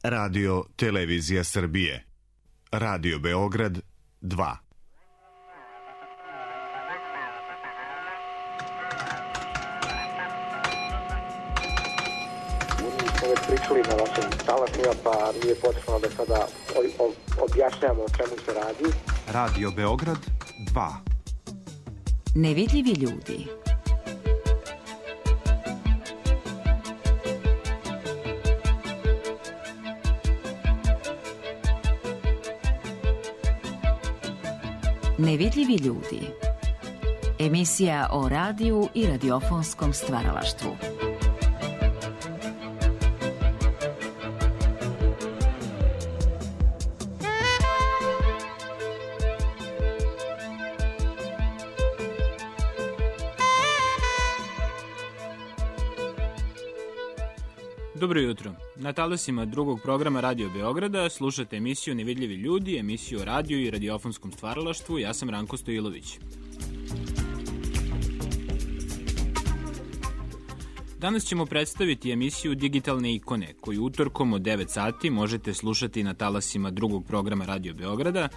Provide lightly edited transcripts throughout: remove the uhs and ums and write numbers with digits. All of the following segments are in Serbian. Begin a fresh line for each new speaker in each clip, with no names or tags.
Radio Televizija Srbije. Radio Beograd 2.
Pričali na vašim talasima, pa nije potrebno da sada objašnjamo o čemu se radi.
Radio Beograd 2.
Nevidljivi ljudi. Nevidljivi ljudi. Emisija o radiju i radiofonskom stvaralaštvu.
Dobro jutro. Na talasima drugog programa Radio Beograda slušate emisiju Nevidljivi ljudi, emisiju o radiju i radiofonskom stvaralaštvu. Ja sam Ranko Stojilović. Danas ćemo predstaviti emisiju Digitalne ikone, koju utorkom od 9 sati možete slušati na talasima drugog programa Radio Beograda,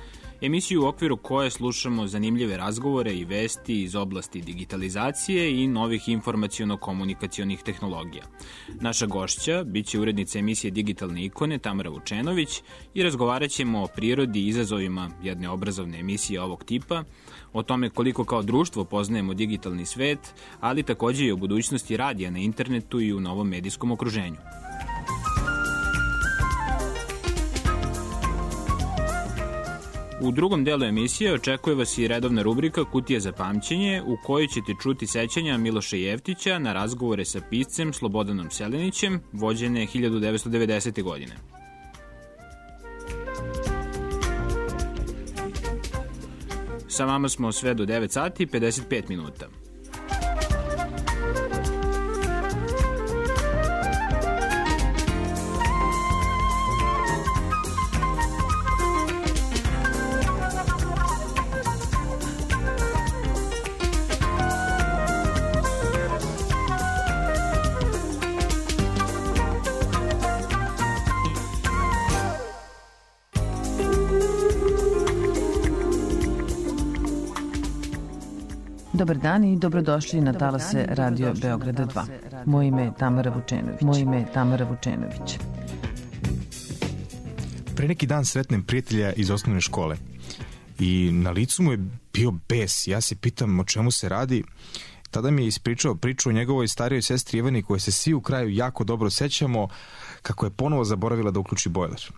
emisiju u okviru koje slušamo zanimljive razgovore i vesti iz oblasti digitalizacije i novih informaciono-komunikacionih tehnologija. Naša gošća biće urednica emisije Digitalne ikone Tamara Vučenović i razgovarat ćemo o prirodi i izazovima jedne obrazovne emisije ovog tipa, o tome koliko kao društvo poznajemo digitalni svet, ali takođe i o budućnosti radija na internetu i u novom medijskom okruženju. U drugom delu emisije očekuje vas i redovna rubrika Kutija za pamćenje, u kojoj ćete čuti sećanja Miloša Jeftića na razgovore sa piscem Slobodanom Selenićem, vođene 1990. godine. Sa vama smo sve do 9 sati 55 minuta.
Dobar dan i dobrodošli na talase Radio Beograda 2. Moje ime je Tamara Vučenović.
Pre neki dan sretnem prijatelja iz osnovne škole i na licu mu je bio bes. Ja se pitam o čemu se radi. Tada mi je ispričao priču o njegovoj starijoj sestri Ivani, koje se svi u kraju jako dobro sećamo, kako je ponovo zaboravila da uključi bojler.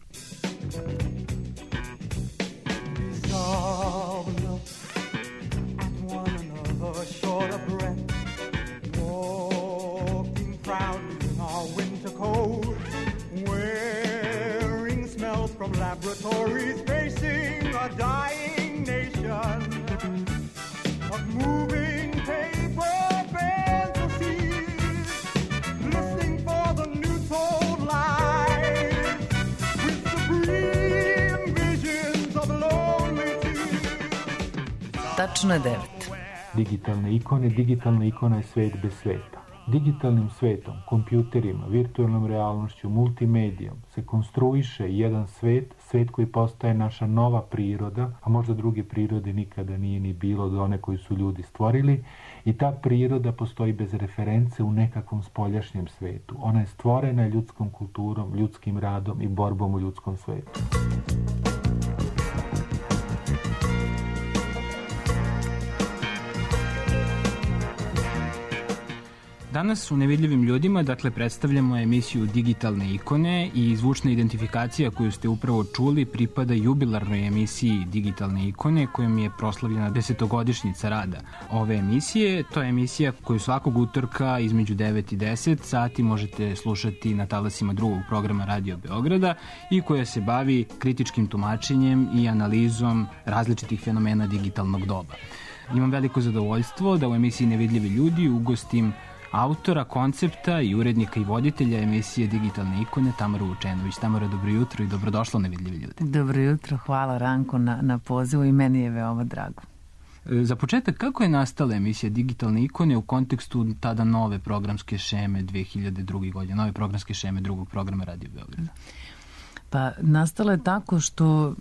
Laboratories facing a dying nation of moving paper fantasies, listening for the new told lies with supreme visions of lonely tears.
Tačno je 9.
Digitalne ikone, digitalna ikona je svet bez sveta. Digitalnim svetom, kompjuterima, virtualnom realnošću, multimedijom se konstruiše jedan svet, svet koji postaje naša nova priroda, a možda druge prirode nikada nije ni bilo do one koju su ljudi stvorili, i ta priroda postoji bez reference u nekakvom spoljašnjem svetu. Ona je stvorena ljudskom kulturom, ljudskim radom i borbom u ljudskom svetu.
Danas u Nevidljivim ljudima, predstavljamo emisiju Digitalne ikone i zvučna identifikacija koju ste upravo čuli pripada jubilarnoj emisiji Digitalne ikone, kojom je proslavljena 10-godišnjica rada ove emisije. To je emisija koju svakog utorka između 9 i 10 sati možete slušati na talasima drugog programa Radio Beograda i koja se bavi kritičkim tumačenjem i analizom različitih fenomena digitalnog doba. Imam veliko zadovoljstvo da u emisiji Nevidljivi ljudi ugostim autora, koncepta i urednika i voditelja emisije Digitalne ikone Tamaru Vučenović. Tamara, dobro jutro i dobrodošla u Nevidljivi ljudi.
Dobro jutro, hvala Ranko na pozivu i meni je veoma drago.
Za početak, kako je nastala emisija Digitalne ikone u kontekstu tada nove programske šeme 2002. godine, nove programske šeme drugog programa Radio Beograda?
Pa nastala je tako što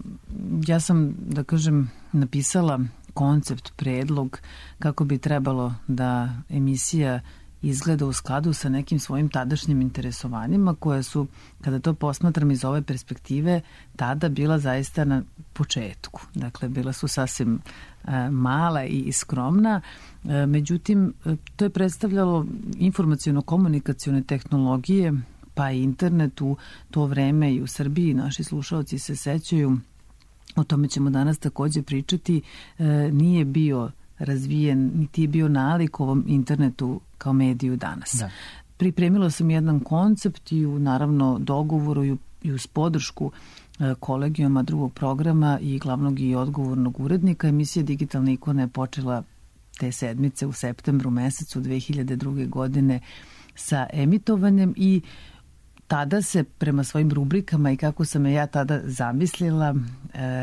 ja sam, da kažem, napisala koncept, predlog kako bi trebalo da emisija izgleda u skladu sa nekim svojim tadašnjim interesovanjima koje su, kada to posmatram iz ove perspektive, tada bila zaista na početku. Dakle, bila su sasvim mala i skromna. Međutim, to je predstavljalo informaciono-komunikacione tehnologije, pa i internet u to vreme i u Srbiji. Naši slušalci se sećaju, o tome ćemo danas takođe pričati, nije bio razvijen, niti je bio nalik ovom internetu kao mediju danas. Da. Pripremila sam jedan koncept i u naravno dogovoru i uz podršku kolegijuma drugog programa i glavnog i odgovornog urednika. Emisija Digitalne ikone je počela te sedmice u septembru mesecu 2002. godine sa emitovanjem i tada se prema svojim rubrikama i kako sam je ja tada zamislila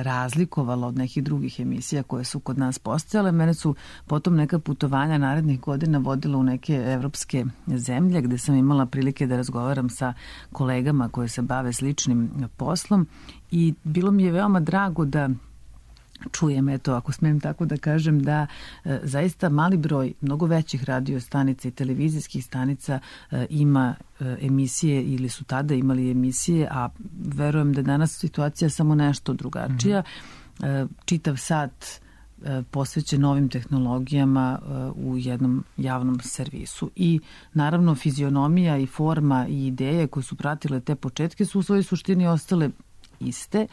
razlikovala od nekih drugih emisija koje su kod nas postojale. Mene su potom neka putovanja narednih godina vodila u neke evropske zemlje gde sam imala prilike da razgovaram sa kolegama koji se bave sličnim poslom i bilo mi je veoma drago da čujem, eto, ako smem tako da kažem, da zaista mali broj mnogo većih radio stanica i televizijskih stanica ima emisije ili su tada imali emisije, a verujem da je danas situacija samo nešto drugačija. Čitav sat posvećen novim tehnologijama u jednom javnom servisu. I naravno fizionomija i forma i ideje koje su pratile te početke su u svojoj suštini ostale iste,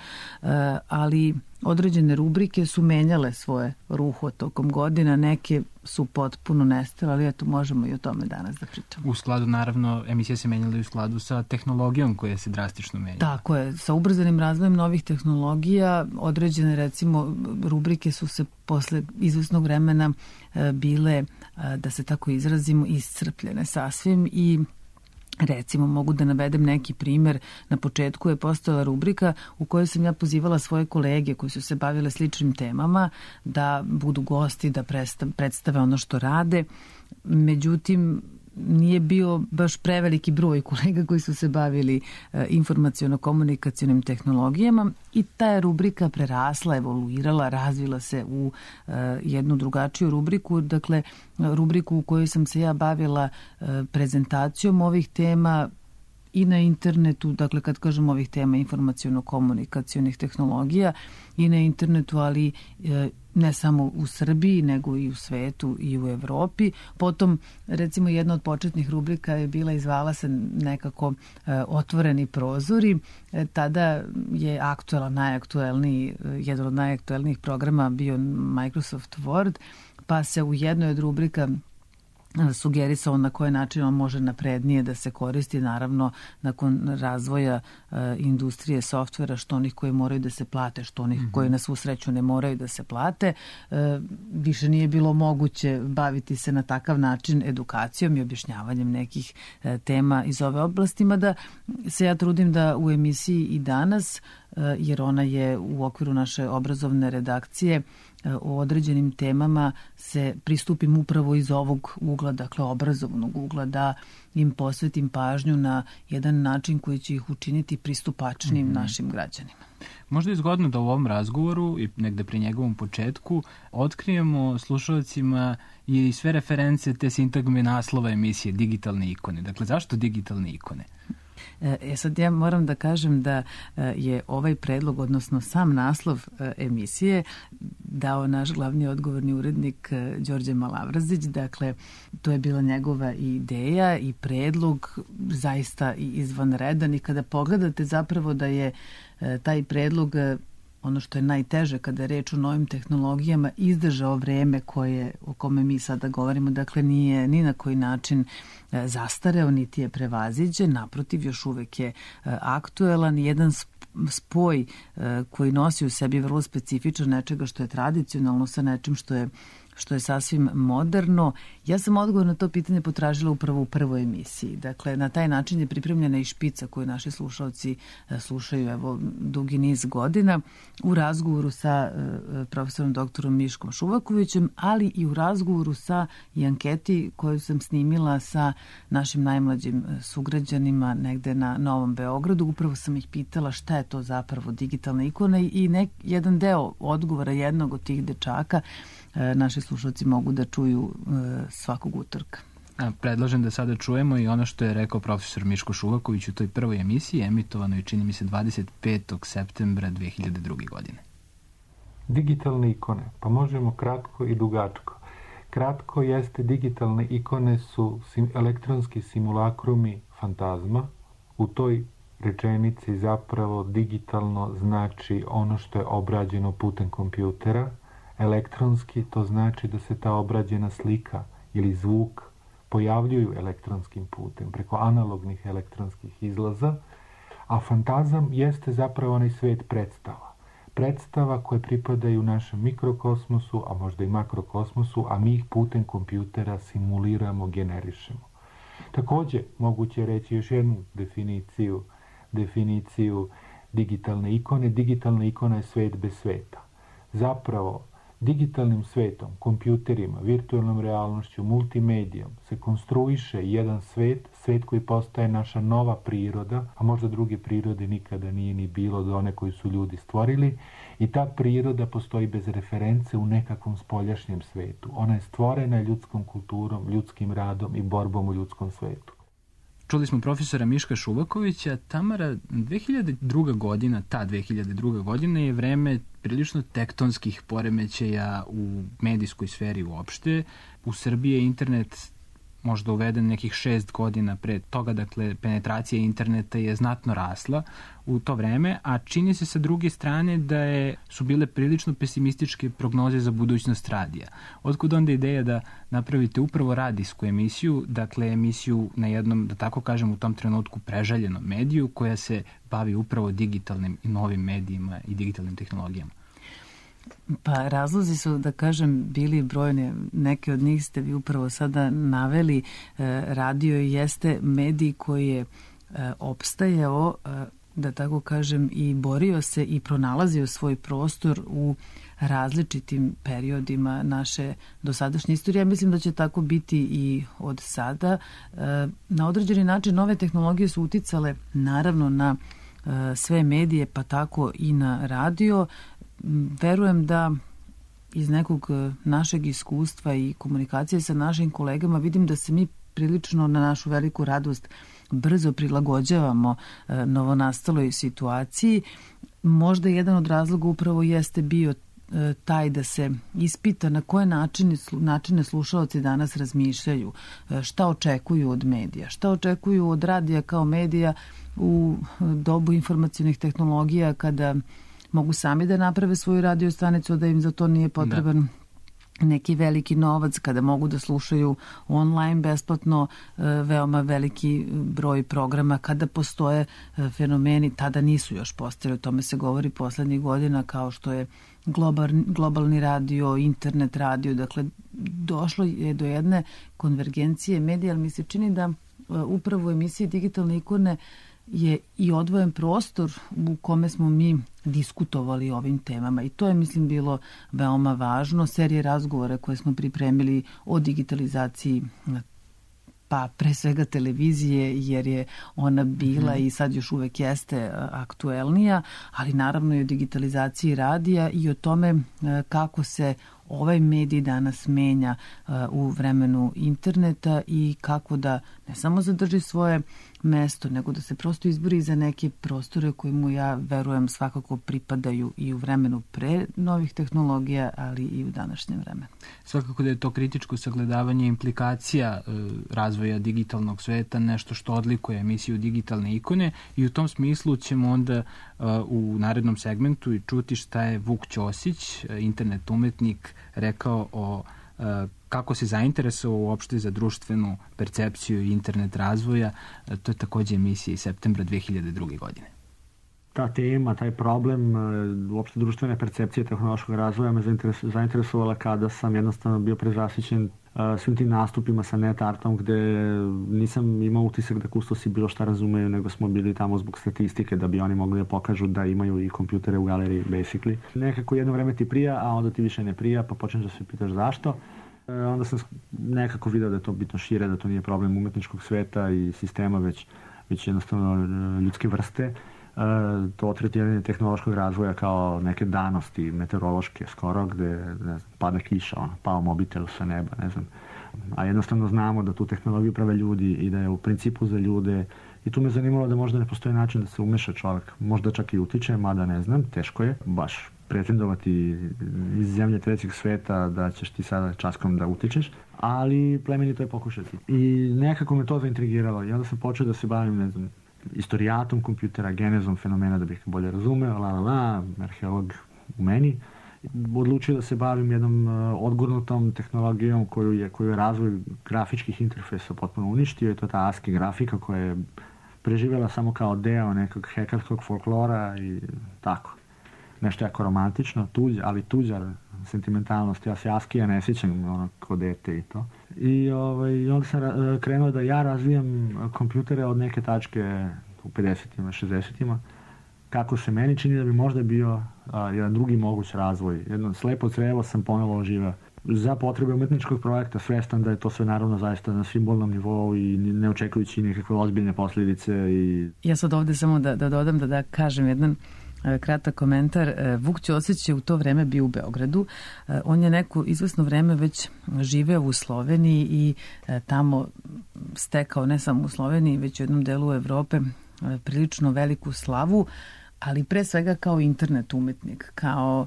ali određene rubrike su menjale svoje ruho tokom godina, neke su potpuno nestale, ali eto, možemo i o tome danas da pričamo.
U skladu, naravno, emisije se menjala i u skladu sa tehnologijom koja se drastično menjala.
Tako je, sa ubrzanim razvojem novih tehnologija, određene, recimo, rubrike su se posle izvesnog vremena bile, da se tako izrazimo, iscrpljene sasvim i recimo, mogu da navedem neki primer. Na početku je postojala rubrika u kojoj sam ja pozivala svoje kolege koji su se bavile sličnim temama da budu gosti, da predstave ono što rade. Međutim, nije bio baš preveliki broj kolega koji su se bavili informaciono-komunikacionim tehnologijama i ta je rubrika prerasla, evoluirala, razvila se u jednu drugačiju rubriku, dakle rubriku u kojoj sam se ja bavila prezentacijom ovih tema i na internetu, dakle kad kažem ovih tema informaciono-komunikacionih tehnologija i na internetu, ali ne samo u Srbiji, nego i u svetu i u Evropi. Potom, recimo, jedna od početnih rubrika je bila i zvala se nekako Otvoreni prozori. Tada je jedan od najaktuelnijih programa bio Microsoft Word, pa se u jednoj od rubrika sugerisao na koji način on može naprednije da se koristi, naravno nakon razvoja industrije softvera, što onih koji moraju da se plate, što onih koji na svu sreću ne moraju da se plate. Više nije bilo moguće baviti se na takav način edukacijom i objašnjavanjem nekih tema iz ove oblasti, mada se ja trudim da u emisiji i danas, jer ona je u okviru naše obrazovne redakcije, o određenim temama se pristupim upravo iz ovog ugla, dakle obrazovnog ugla, da im posvetim pažnju na jedan način koji će ih učiniti pristupačnim našim građanima.
Možda je zgodno da u ovom razgovoru i negde pri njegovom početku otkrijemo slušalcima i sve reference te sintagme naslova emisije Digitalne ikone. Dakle, zašto digitalne ikone?
Sad ja moram da kažem da je ovaj predlog, odnosno sam naslov emisije, dao naš glavni odgovorni urednik Đorđe Malavrazić. Dakle, to je bila njegova ideja i predlog zaista izvanredan i kada pogledate zapravo da je taj predlog, ono što je najteže kada je reč o novim tehnologijama, izdržao vreme o kome mi sada govorimo, dakle nije ni na koji način zastareo, niti je prevaziđen, naprotiv, još uvek je aktuelan, jedan spoj koji nosi u sebi vrlo specifičan nečega što je tradicionalno sa nečim što je što je sasvim moderno. Ja sam odgovor na to pitanje potražila upravo u prvoj emisiji. Dakle, na taj način je pripremljena i špica koju naši slušalci slušaju evo dugi niz godina u razgovoru sa profesorom doktorom Miškom Šuvakovićem, ali i u razgovoru sa i anketi koju sam snimila sa našim najmlađim sugrađanima negde na Novom Beogradu. Upravo sam ih pitala šta je to zapravo digitalna ikona i jedan deo odgovora jednog od tih dečaka naši slušalci mogu da čuju svakog utorka.
Predlažem da sada čujemo i ono što je rekao profesor Miško Šuvaković u toj prvoj emisiji, emitovanoj čini mi se 25. septembra 2002. godine.
Digitalne ikone, pa možemo kratko i dugačko. Kratko jeste digitalne ikone su elektronski simulakrumi fantazma. U toj rečenici zapravo digitalno znači ono što je obrađeno putem kompjutera. Elektronski to znači da se ta obrađena slika ili zvuk pojavljuju elektronskim putem, preko analognih elektronskih izlaza, a fantazam jeste zapravo onaj svet predstava. Predstava koje pripadaju našem mikrokosmosu, a možda i makrokosmosu, a mi ih putem kompjutera simuliramo, generišemo. Takođe, moguće reći još jednu definiciju digitalne ikone. Digitalna ikona je svet bez sveta. Zapravo, digitalnim svetom, kompjuterima, virtualnom realnošću, multimedijom se konstruiše jedan svet koji postaje naša nova priroda, a možda druge prirode nikada nije ni bilo do one koju su ljudi stvorili, i ta priroda postoji bez reference u nekakvom spoljašnjem svetu. Ona je stvorena ljudskom kulturom, ljudskim radom i borbom u ljudskom svetu.
Čuli smo profesora Miška Šuvakovića. Tamara, 2002. godina je vreme prilično tektonskih poremećaja u medijskoj sferi uopšte. U Srbiji je internet možda uveden nekih 6 godina pre toga, dakle penetracija interneta je znatno rasla u to vreme, a čini se sa druge strane da su bile prilično pesimističke prognoze za budućnost radija. Otkud onda ideja da napravite upravo radijsku emisiju, dakle emisiju na jednom, da tako kažem, u tom trenutku prežaljenom mediju koja se bavi upravo digitalnim i novim medijima i digitalnim tehnologijama?
Pa razlozi su, da kažem, bili brojne. Neke od njih ste vi upravo sada naveli. Radio jeste medij koji je opstajao, da tako kažem, i borio se i pronalazio svoj prostor u različitim periodima naše dosadašnje istorije. Ja mislim da će tako biti i od sada. Na određeni način nove tehnologije su uticale naravno na sve medije, pa tako i na radio. Verujem da iz nekog našeg iskustva i komunikacije sa našim kolegama vidim da se mi prilično na našu veliku radost brzo prilagođavamo novonastaloj situaciji. Možda jedan od razloga upravo jeste bio taj da se ispita na koje načine slušaoci danas razmišljaju, šta očekuju od medija, šta očekuju od radija kao medija u dobu informacionih tehnologija kada mogu sami da naprave svoju radio stanicu, da im za to nije potreban neki veliki novac, kada mogu da slušaju online besplatno veoma veliki broj programa, kada postoje fenomeni, tada nisu još postojali, o tome se govori poslednjih godina, kao što je globalni radio, internet radio, dakle došlo je do jedne konvergencije medija, ali mi se čini da upravo u emisiji Digitalne ikone je i odvojen prostor u kome smo mi diskutovali o ovim temama i to je, mislim, bilo veoma važno. Serije razgovora koje smo pripremili o digitalizaciji, pa pre svega televizije, jer je ona bila i sad još uvek jeste aktuelnija, ali naravno i o digitalizaciji radija i o tome kako se ovaj medij danas menja u vremenu interneta i kako da ne samo zadrži svoje mesto, nego da se prosto izbori za neke prostore koje mu, ja verujem, svakako pripadaju i u vremenu pre novih tehnologija, ali i u današnjem vremenu.
Svakako da je to kritičko sagledavanje implikacija razvoja digitalnog sveta, nešto što odlikuje emisiju Digitalne ikone i u tom smislu ćemo onda u narednom segmentu i čuti šta je Vuk Ćosić, internet umetnik, rekao o kako se zainteresovao uopšte za društvenu percepciju i internet razvoja. To je takođe emisija iz septembra 2002. godine.
ta tema, taj problem uopšte društvene percepcije tehnološkog razvoja me zainteresovala kada sam jednostavno bio prezasićen svim tim nastupima sa NetArtom gde nisam imao utisak da kustosi bilo šta razumeju, nego smo bili tamo zbog statistike da bi oni mogli da pokažu da imaju i kompjutere u galeriji, basically. Nekako jedno vreme ti prija, a onda ti više ne prija, pa počneš da se pitaš zašto. Onda sam nekako video da je to bitno šire, da to nije problem umetničkog sveta i sistema, već jednostavno ljudske vrste. To tretiranje tehnološkog razvoja kao neke danosti meteorološke skoro, gde ne znam, pada kiša, pao mobitel sa neba, ne znam. A jednostavno znamo da tu tehnologiju prave ljudi i da je u principu za ljude. I tu me zanimalo da možda ne postoji način da se umeša čovjek. Možda čak i utiče, mada ne znam, teško je baš pretendovati iz zemlje trećeg sveta da ćeš ti sada časkom da utičeš, ali plemenito je pokušati. I nekako me to zaintrigiralo i onda sam počeo da se bavim, ne znam, istorijatom kompjutera, genezom fenomena da bih bolje razumeo, arheolog u meni. Odlučio da se bavim jednom odgurnutom tehnologijom koju je razvoj grafičkih interfejsa potpuno uništio, i to je ta ASCII grafika koja je preživjela samo kao deo nekog hekarskog folklora i tako. Nešto jako romantično, ali tuđa sentimentalnost. Ja se ASCII-a ne sjećam ko dete i to. I onda sam krenuo da ja razvijam kompjutere od neke tačke u 50-ima, 60-ima, kako se meni čini da bi možda bio jedan drugi moguć razvoj. Jedno slepo crevo sam ponovo oživao za potrebe umetničkog projekta, svestan da je to sve naravno zaista na simbolnom nivou i ne očekujući nekakve ozbiljne posljedice.
Ja sad ovde samo da dodam, da kažem jedan kratak komentar. Vuk Ćosić je u to vreme bio u Beogradu. On je neko izvesno vreme već živeo u Sloveniji i tamo stekao ne samo u Sloveniji, već u jednom delu Evrope prilično veliku slavu, ali pre svega kao internet umetnik, kao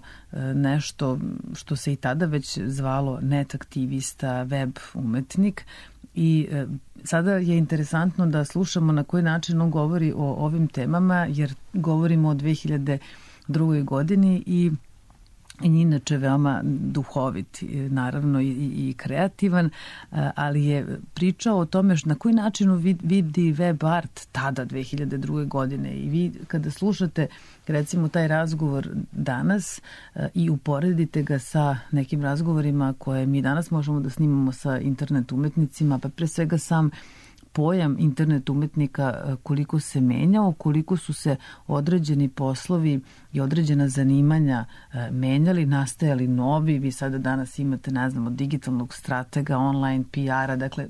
nešto što se i tada već zvalo net aktivista, web umetnik. I sada je interesantno da slušamo na koji način on govori o ovim temama, jer govorimo o 2002. godini i inače veoma duhovit, naravno i kreativan, ali je pričao o tome na koji način vidi web art tada 2002. godine. I vi kada slušate recimo taj razgovor danas i uporedite ga sa nekim razgovorima koje mi danas možemo da snimamo sa internet umetnicima, pa pre svega sam pojam internet umetnika koliko se menjao, koliko su se određeni poslovi i određena zanimanja menjali, nastajali novi. Vi sada danas imate, ne znam, od digitalnog stratega, online PR-a, dakle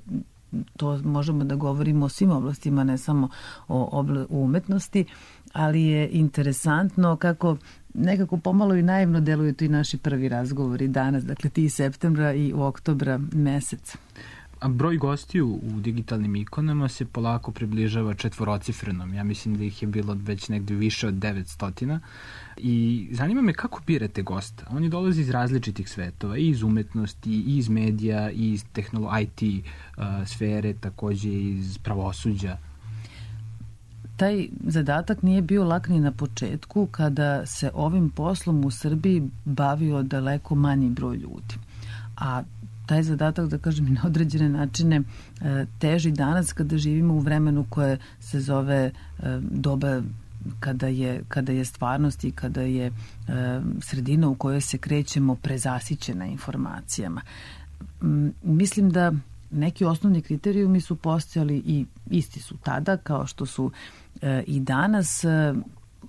to možemo da govorimo o svim oblastima, ne samo o umetnosti, ali je interesantno kako nekako pomalo i naivno deluju tu i naši prvi razgovori danas, dakle ti septembra i u oktobra mesec.
A broj gostiju u digitalnim ikonama se polako približava četvorocifrenom. Ja mislim da ih je bilo već negde više od 900. I zanima me kako birate gosta. Oni dolaze iz različitih svetova, i iz umetnosti, i iz medija, i iz IT sfere, takođe iz pravosuđa.
Taj zadatak nije bio lak ni na početku kada se ovim poslom u Srbiji bavio daleko manji broj ljudi. A taj zadatak, da kažem, na određene načine teži danas kada živimo u vremenu koje se zove doba kada je stvarnost i kada je sredina u kojoj se krećemo prezasićena informacijama. Mislim da neki osnovni kriterijumi su postojali i isti su tada kao što su i danas.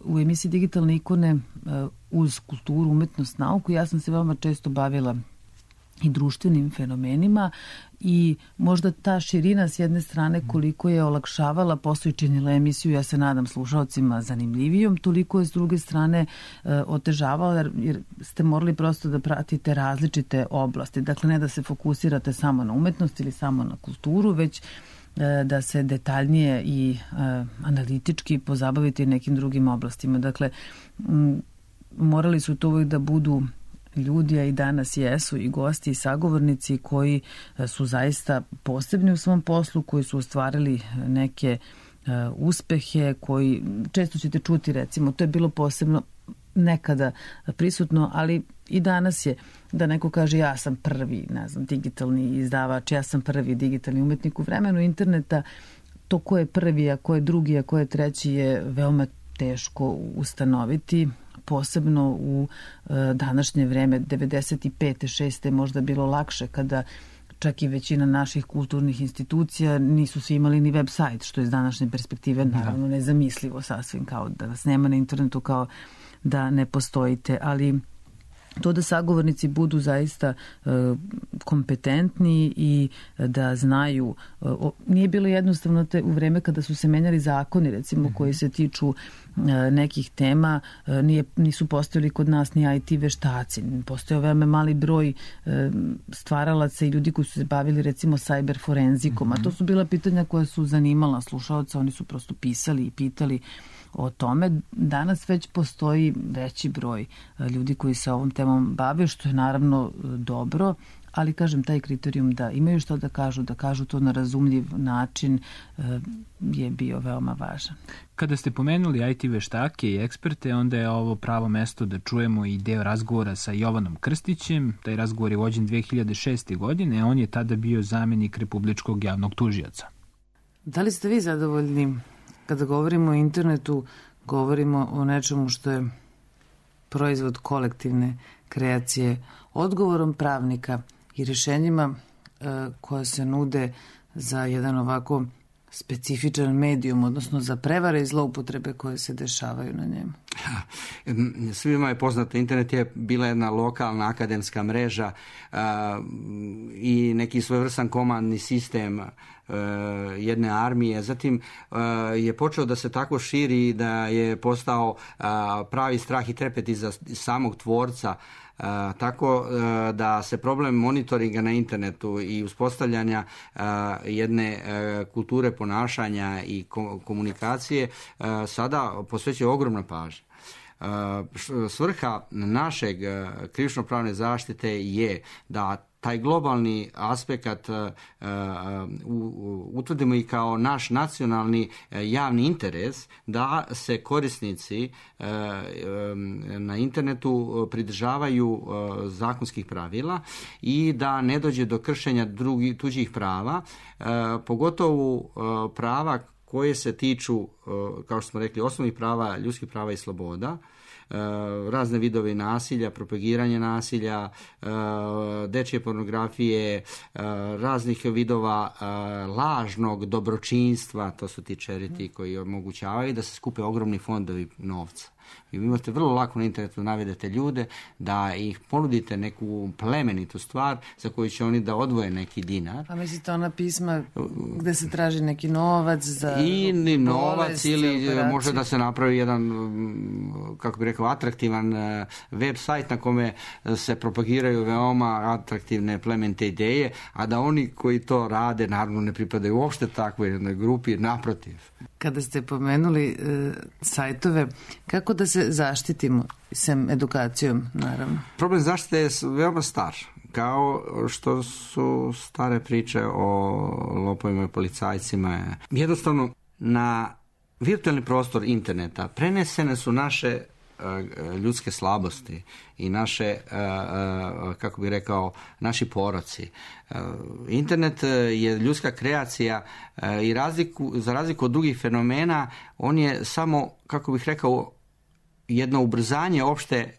U emisiji Digitalne ikone uz kulturu, umetnost, nauku ja sam se veoma često bavila i društvenim fenomenima i možda ta širina s jedne strane koliko je olakšavala posao i činila emisiju, ja se nadam, slušalcima zanimljivijom, toliko je s druge strane otežavala jer ste morali prosto da pratite različite oblasti. Dakle, ne da se fokusirate samo na umetnost ili samo na kulturu, već da se detaljnije i analitički pozabavite nekim drugim oblastima. Dakle, morali su to uvijek da budu ljudi, a i danas jesu i gosti i sagovornici koji su zaista posebni u svom poslu, koji su ostvarili neke uspehe, koji često ćete čuti, recimo, to je bilo posebno nekada prisutno, ali i danas je da neko kaže ja sam prvi, ne znam, digitalni izdavač, ja sam prvi digitalni umetnik. U vremenu interneta to ko je prvi, a ko je drugi, a ko je treći je veoma teško ustanoviti, posebno u današnje vreme. 95. 6. je možda bilo lakše kada čak i većina naših kulturnih institucija nisu svi imali ni web sajt, što je iz današnje perspektive naravno nezamislivo sasvim, kao da vas nema na internetu, kao da ne postojite, ali to da sagovornici budu zaista kompetentni i da znaju. Nije bilo jednostavno u vreme kada su se menjali zakoni, recimo, koji se tiču nekih tema, nisu postojali kod nas ni IT veštaci. Postojao veoma mali broj stvaralaca i ljudi koji su se bavili, recimo, cyber forenzikom, a to su bila pitanja koja su zanimala slušaoca, oni su prosto pisali i pitali o tome. Danas već postoji veći broj ljudi koji se ovom temom bave, što je naravno dobro, ali kažem, taj kriterijum da imaju što da kažu to na razumljiv način je bio veoma važan.
Kada ste pomenuli IT veštake i eksperte, onda je ovo pravo mesto da čujemo i deo razgovora sa Jovanom Krstićem. Taj razgovor je vođen 2006. godine, a on je tada bio zamenik Republičkog javnog tužioca.
Da li ste vi zadovoljni? Kada govorimo o internetu, govorimo o nečemu što je proizvod kolektivne kreacije, odgovorom pravnika i rješenjima koja se nude za jedan ovako specifičan medijum, odnosno za prevare i zloupotrebe koje se dešavaju na njemu.
Svima je poznato, internet je bila jedna lokalna akademska mreža i neki svojevrstan komandni sistem jedne armije. Zatim je počeo da se tako širi da je postao pravi strah i trepet iza samog tvorca, tako da se problem monitoringa na internetu i uspostavljanja jedne kulture ponašanja i komunikacije sada posvećuje ogromna pažnja. Svrha našeg krivično-pravne zaštite je da taj globalni aspekt utvrdimo i kao naš nacionalni javni interes, da se korisnici na internetu pridržavaju zakonskih pravila i da ne dođe do kršenja tuđih prava, pogotovo prava koje se tiču, kao što smo rekli, osnovnih prava, ljudskih prava i sloboda, razne vidove nasilja, propagiranje nasilja, dečje pornografije, raznih vidova lažnog dobročinstva, to su ti charity koji omogućavaju da se skupe ogromni fondovi novca. Vi imate vrlo lako na internetu navedete ljude, da ih ponudite neku plemenitu stvar za koju će oni da odvoje neki dinar.
A mislite ona pisma gde se traži neki novac za
i novac
bolest,
ili
operaciju.
može da se napravi jedan, kako bih rekao, atraktivan web sajt na kome se propagiraju veoma atraktivne plemenite ideje, a da oni koji to rade naravno ne pripadaju uopšte takvoj jednoj grupi, naprotiv.
Kada ste pomenuli sajtove, kako da se zaštitimo, sem edukacijom, naravno?
Problem zaštite je veoma star, kao što su stare priče o lopovima i policajcima. Jednostavno, na virtualni prostor interneta prenesene su naše ljudske slabosti i naše, kako bih rekao, naši poroci. Internet je ljudska kreacija i za razliku od drugih fenomena, on je samo, kako bih rekao, jedno ubrzanje opšte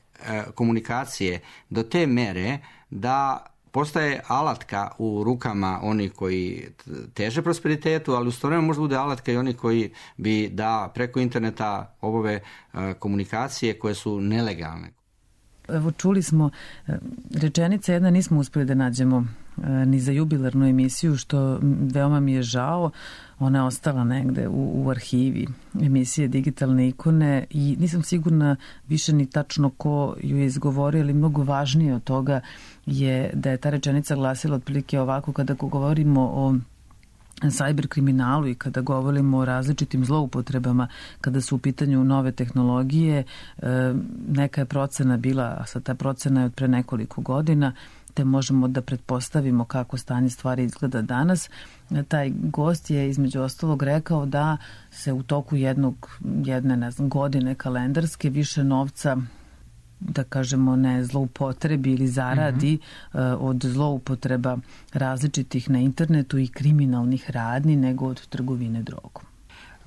komunikacije do te mere da postaje alatka u rukama onih koji teže prosperitetu, ali u isto vreme možda bude alatka i oni koji bi da preko interneta obave komunikacije koje su nelegalne.
Evo, čuli smo rečenica jedna, nismo uspeli da nađemo ni za jubilarnu emisiju, što veoma mi je žao. Ona je ostala negde u arhivi emisije Digitalne ikone i nisam sigurna više ni tačno ko ju je izgovorio, ali mnogo važnije od toga je da je ta rečenica glasila otprilike ovako: kada govorimo o cyber kriminalu i kada govorimo o različitim zloupotrebama, kada su u pitanju nove tehnologije, neka je procena bila, a sad ta procena je od pre nekoliko godina, te možemo da pretpostavimo kako stanje stvari izgleda danas. Taj gost je između ostalog rekao da se u toku jedne godine kalendarske više novca, da kažemo, ne zloupotrebi ili zaradi od zloupotreba različitih na internetu i kriminalnih radnji nego od trgovine drogom.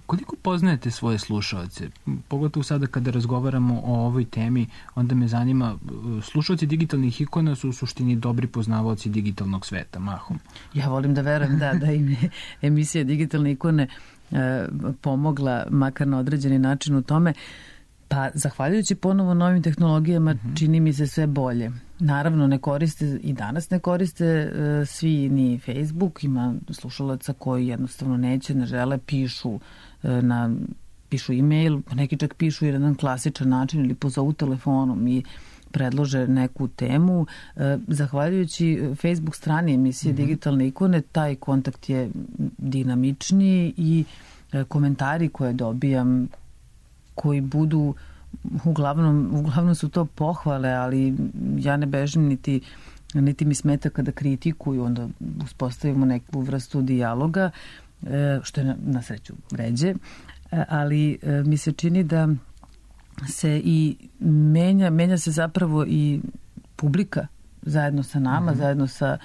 Koliko poznajete svoje slušaoce? Pogotovo sada kada razgovaramo o ovoj temi, onda me zanima, slušaoci digitalnih ikona su u suštini dobri poznavaoci digitalnog sveta, mahom.
Ja volim da verujem da im je emisija Digitalne ikone pomogla makar na određeni način u tome. Pa, zahvaljujući ponovo novim tehnologijama, čini mi se sve bolje. Naravno, ne koriste, i danas ne koriste svi ni Facebook, ima slušalaca koji jednostavno neće, ne žele, pišu e-mail, neki čak pišu i na jedan klasičan način ili pozovu telefonom i predlože neku temu. Zahvaljujući Facebook strani emisije Digitalne ikone, taj kontakt je dinamičniji i komentari koje dobijam, koji budu, uglavnom su to pohvale, ali ja ne bežim niti mi smeta kada kritikuju, onda uspostavimo neku vrstu dijaloga, što je na sreću ređe, ali mi se čini da se i menja se zapravo i publika zajedno sa nama, zajedno sa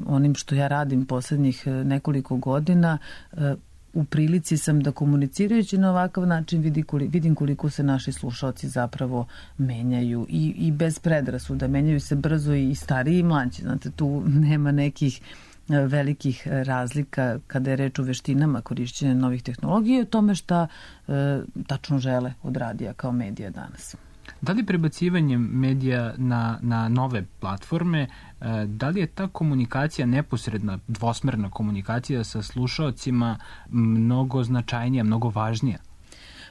onim što ja radim poslednjih nekoliko godina. U prilici sam da komunicirajući na ovakav način vidim koliko se naši slušalci zapravo menjaju i bez predrasuda, menjaju se brzo i stariji i mlađi. Znate, tu nema nekih velikih razlika kada je reč o veštinama korišćenja novih tehnologija i o tome šta tačno žele od radija kao medija danas.
Da li prebacivanjem medija na nove platforme, da li je ta komunikacija, neposredna, dvosmerna komunikacija sa slušaocima mnogo značajnija, mnogo važnija?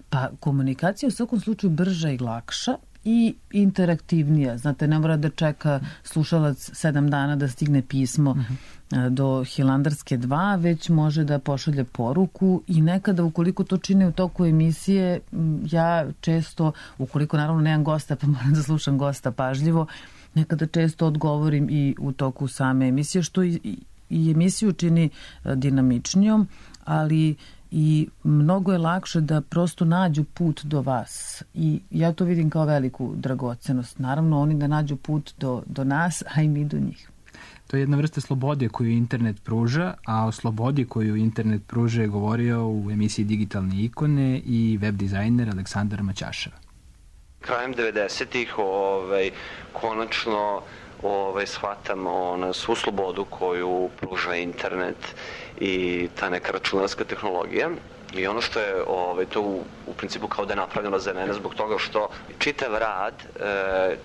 Pa, komunikacija u svakom slučaju brža i lakša i interaktivnija. Znate, ne mora da čeka slušalac 7 dana da stigne pismo do Hilandarske 2, već može da pošalje poruku i nekada, ukoliko to čine u toku emisije, ja često, ukoliko naravno nemam gosta, pa moram da slušam gosta pažljivo, nekada često odgovorim i u toku same emisije, što i emisiju čini dinamičnijom, ali i mnogo je lakše da prosto nađu put do vas i ja to vidim kao veliku dragocenost. Naravno, oni da nađu put do nas, a i mi do njih.
To je jedna vrsta slobode koju internet pruža, a o slobodi koju internet pruža je govorio u emisiji Digitalne ikone i web dizajner Aleksandar Maćašev.
Krajem 90-ih konačno shvatam svu slobodu koju pruža internet i ta neka računarska tehnologija. I ono što je to u principu kao da je napravljeno za mene zbog toga što čitav rad,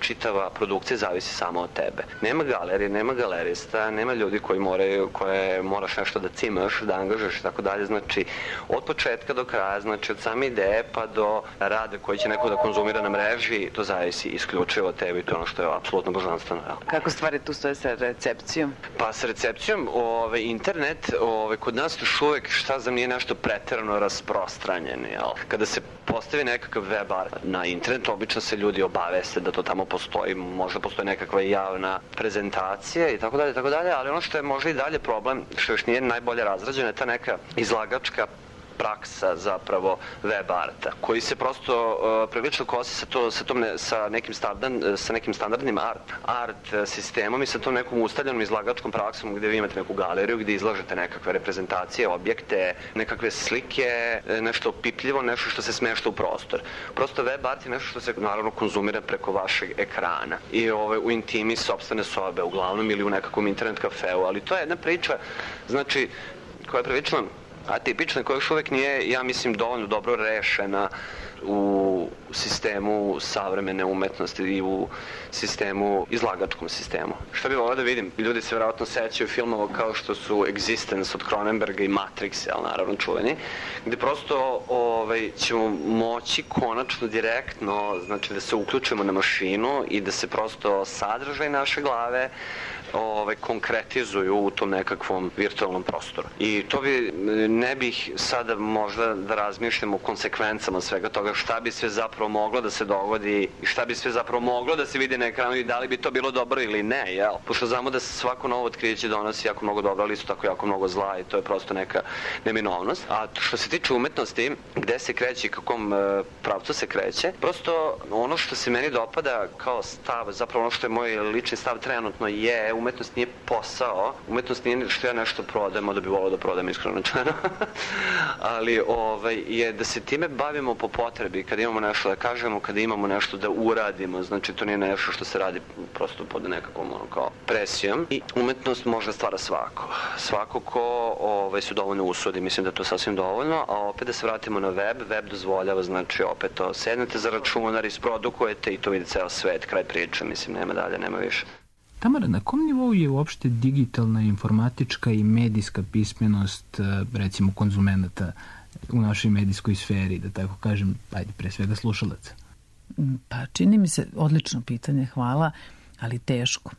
čitava produkcija zavisi samo od tebe. Nema galerije, nema galerista, nema ljudi koje moraš nešto da cimaš, da angažaš i tako dalje. Znači, od početka do kraja, znači od same ideje pa do rada koji će neko da konzumira na mreži, to zavisi isključivo od tebe i to je ono što je apsolutno božanstveno.
Kako stvari tu stoje sa recepcijom?
Pa sa recepcijom, internet, kod nas još uvek, šta znam, nije nešto preterano rasprostranjen. Kada se postavi nekakav web art na internet, obično se ljudi obaveste da to tamo postoji, možda postoji nekakva javna prezentacija i tako dalje, ali ono što je možda i dalje problem, što još nije najbolje razrađeno, je ta neka izlagačka praksa zapravo web arta, koji se prosto prilično kosi sa nekim standardnim art sistemom i sa tom nekom ustaljenom izlagačkom praksom gde vi imate neku galeriju, gde izlažete nekakve reprezentacije, objekte, nekakve slike, nešto opipljivo, nešto što se smešta u prostor. Prosto web art je nešto što se naravno konzumira preko vašeg ekrana i u intimi sopstvene sobe, uglavnom ili u nekakvom internet kafeu, ali to je jedna priča, znači, koja je prilično atipična, koja još uvek nije, ja mislim, dovoljno dobro rešena u sistemu savremene umetnosti i u izlagačkom sistemu. Šta bi volio da vidim? Ljudi se vjerojatno sećaju filmova kao što su Existence od Cronenberga i Matrix, naravno čuveni, gde prosto ćemo moći konačno direktno, znači da se uključimo na mašinu i da se prosto sadržaj naše glave konkretizuju u tom nekakvom virtualnom prostoru. I to ne bih sada možda da razmišljam o konsekvencama svega toga, šta bi sve zapravo moglo da se dogodi i šta bi sve zapravo moglo da se vidi na ekranu i da li bi to bilo dobro ili ne, jel? Pošto znamo da se svako novo otkriće donosi jako mnogo dobra, ali isto tako jako mnogo zla i to je prosto neka neminovnost. A što se tiče umetnosti, gde se kreće i kakvom pravcu se kreće, prosto ono što se meni dopada kao stav, zapravo ono što je moj lični stav trenutno je umetnost nije posao, umetnost nije što ja nešto prodajem, da bi volao da prodajem iskreno rečeno, ali je da se time bavimo po potrebi, kada imamo nešto da kažemo, kada imamo nešto da uradimo, znači to nije nešto što se radi prosto pod nekakvom kao presijom i umetnost može stvara svako ko se dovoljno usudi, mislim da je to sasvim dovoljno, a opet da se vratimo na web dozvoljava, znači opet to sednete za računar, isprodukujete i to vidi ceo svet, kraj priče, mislim nema dalje, nema više.
Tamara, na kom nivou je uopšte digitalna, informatička i medijska pismenost, recimo, konzumenata u našoj medijskoj sferi, da tako kažem, ajde, pre svega slušalaca?
Pa čini mi se, odlično pitanje, hvala, ali teško.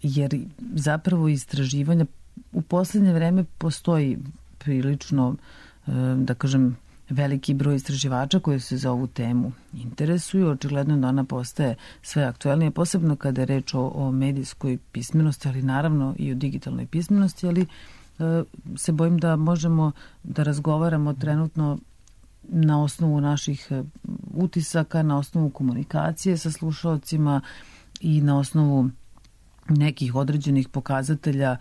Jer zapravo istraživanja u poslednje vreme postoji prilično, da kažem, veliki broj istraživača koji se za ovu temu interesuju. Očigledno da ona postaje sve aktuelnije, posebno kada je reč o medijskoj pismenosti, ali naravno i o digitalnoj pismenosti, ali se bojim da možemo da razgovaramo trenutno na osnovu naših utisaka, na osnovu komunikacije sa slušalcima i na osnovu nekih određenih pokazatelja.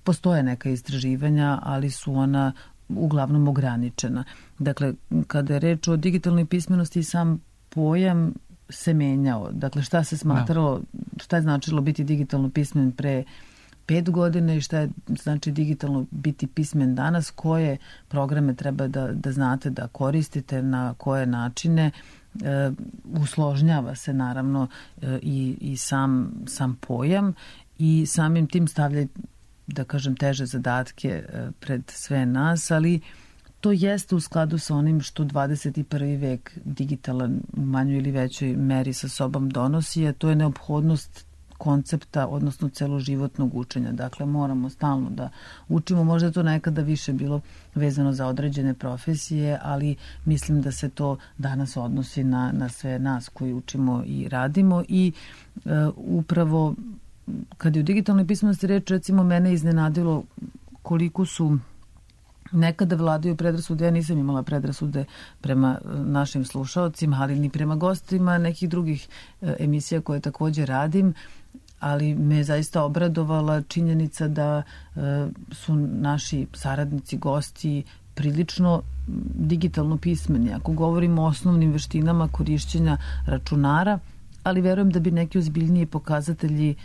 Postoje neka istraživanja, ali su ona uglavnom ograničena. Dakle, kada je reč o digitalnoj pismenosti, sam pojam se menjao. Dakle, šta se smatralo, šta je značilo biti digitalno pismen pre 5 godina i šta je znači digitalno biti pismen danas, koje programe treba da znate da koristite, na koje načine. Usložnjava se naravno i sam pojam i samim tim stavlja, da kažem, teže zadatke pred sve nas, ali to jeste u skladu sa onim što 21. vek digitalan u manjoj ili većoj meri sa sobom donosi, a to je neophodnost koncepta, odnosno celoživotnog učenja. Dakle, moramo stalno da učimo. Možda je to nekada više bilo vezano za određene profesije, ali mislim da se to danas odnosi na sve nas koji učimo i radimo i upravo kad je u digitalnoj pismenosti reč, recimo, mene iznenadilo koliko su nekada vladaju predrasude. Ja nisam imala predrasude prema našim slušaocima, ali ni prema gostima nekih drugih emisija koje takođe radim, ali me je zaista obradovala činjenica da su naši saradnici, gosti prilično digitalno pismeni. Ako govorimo o osnovnim veštinama korišćenja računara, ali verujem da bi neki ozbiljniji pokazatelji